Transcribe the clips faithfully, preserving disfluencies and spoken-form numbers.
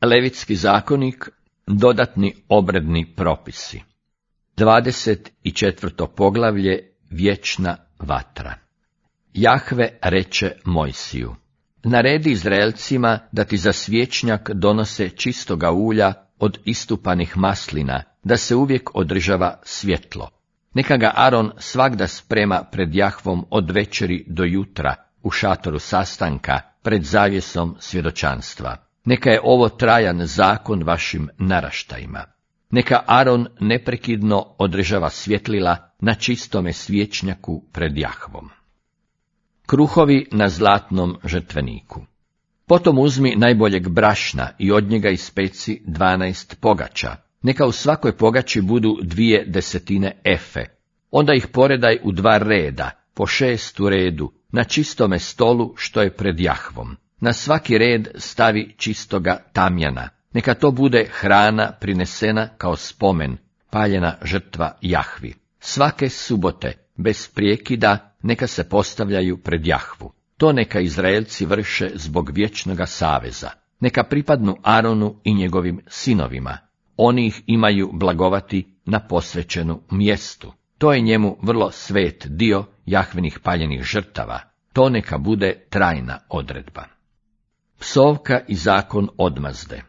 Levitski zakonik, dodatni obredni propisi. Dvadeset četvrto poglavlje, vječna vatra. Jahve reče Mojsiju: naredi Izraelcima da ti za svječnjak donose čistoga ulja od istupanih maslina, da se uvijek održava svjetlo. Neka ga Aron svagda sprema pred Jahvom od večeri do jutra, u šatoru sastanka, pred zavjesom svjedočanstva. Neka je ovo trajan zakon vašim naraštajima. Neka Aron neprekidno održava svjetlila na čistome svječnjaku pred Jahvom. Kruhovi na zlatnom žrtveniku. Potom uzmi najboljeg brašna i od njega ispeci dvanaest pogača. Neka u svakoj pogači budu dvije desetine efe. Onda ih poredaj u dva reda, po šest u redu, na čistome stolu što je pred Jahvom. Na svaki red stavi čistoga tamjana. Neka to bude hrana prinesena kao spomen, paljena žrtva Jahvi. Svake subote, bez prijekida, neka se postavljaju pred Jahvu. To neka Izraelci vrše zbog vječnoga saveza. Neka pripadnu Aronu i njegovim sinovima. Oni ih imaju blagovati na posvećenu mjestu. To je njemu vrlo svet dio Jahvinih paljenih žrtava. To neka bude trajna odredba. Psovka i zakon odmazde.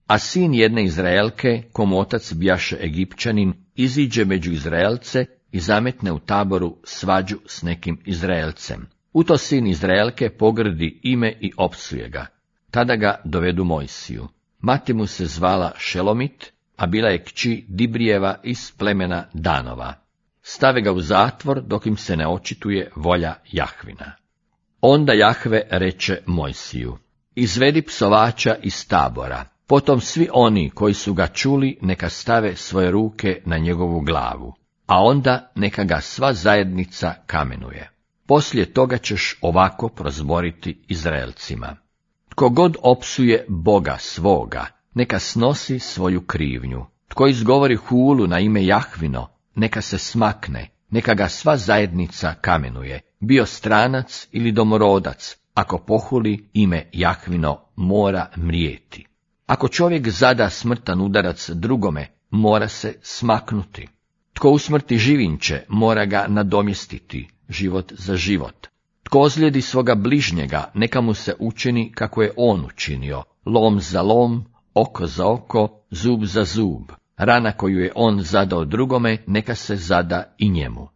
A sin jedne Izraelke, komu otac bijaše Egipćanin, iziđe među Izraelce i zametne u taboru svađu s nekim Izraelcem. U to sin Izraelke pogrdi ime i opsuje ga. Tada ga dovedu Mojsiju. Mati mu se zvala Šelomit, a bila je kći Dibrijeva iz plemena Danova. Stave ga u zatvor dok im se ne očituje volja Jahvina. Onda Jahve reče Mojsiju: izvedi psovača iz tabora. Potom svi oni koji su ga čuli neka stave svoje ruke na njegovu glavu, a onda neka ga sva zajednica kamenuje. Poslije toga ćeš ovako prozboriti Izraelcima: tko god opsuje Boga svoga, neka snosi svoju krivnju. Tko izgovori hulu na ime Jahvino, neka se smakne, neka ga sva zajednica kamenuje, bio stranac ili domorodac. Ako pohuli ime Jahvino, mora mrijeti. Ako čovjek zada smrtan udarac drugome, mora se smaknuti. Tko usmrti živinče, mora ga nadomjestiti, život za život. Tko ozlijedi svoga bližnjega, neka mu se učini kako je on učinio, lom za lom, oko za oko, zub za zub. Rana koju je on zadao drugome, neka se zada i njemu.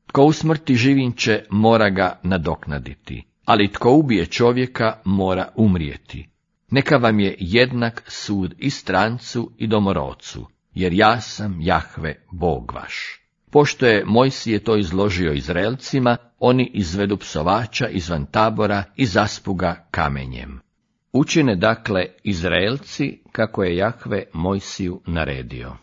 Tko usmrti živinče, mora ga nadoknaditi, ali tko ubije čovjeka, mora umrijeti. Neka vam je jednak sud i strancu i domorodcu, jer ja sam Jahve, Bog vaš. Pošto je Mojsije to izložio Izraelcima, oni izvedu psovača izvan tabora i zaspu ga kamenjem. Učine dakle Izraelci kako je Jahve Mojsiju naredio.